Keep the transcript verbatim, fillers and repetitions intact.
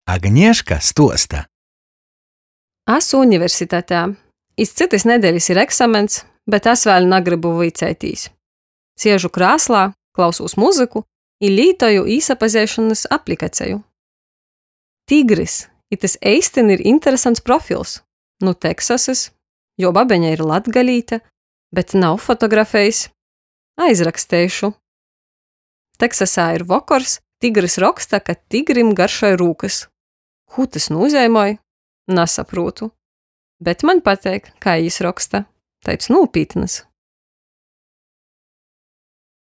Agneška stuosta. Asu universitatē. Iz cytys nedelis ir eksamens, bet es vēļ nagrybu vuiceitīs. Siežu krāslā, klausūs muzyku i lītoju īsapazeišonys aplikaceju. Tigris, itys eistyn ir interesants profils. Nu Teksasys, juo babeņa ir latgalīte, bet nav fotografejis. Aizraksteišu. Teksasā ir vokors, tigris roksta, ka tigrim garšoj rūkys. Kū tys nūzeimoj? Nasaprūtu. Bet maņ pateik, kai jis roksta. Taids nūpītnys.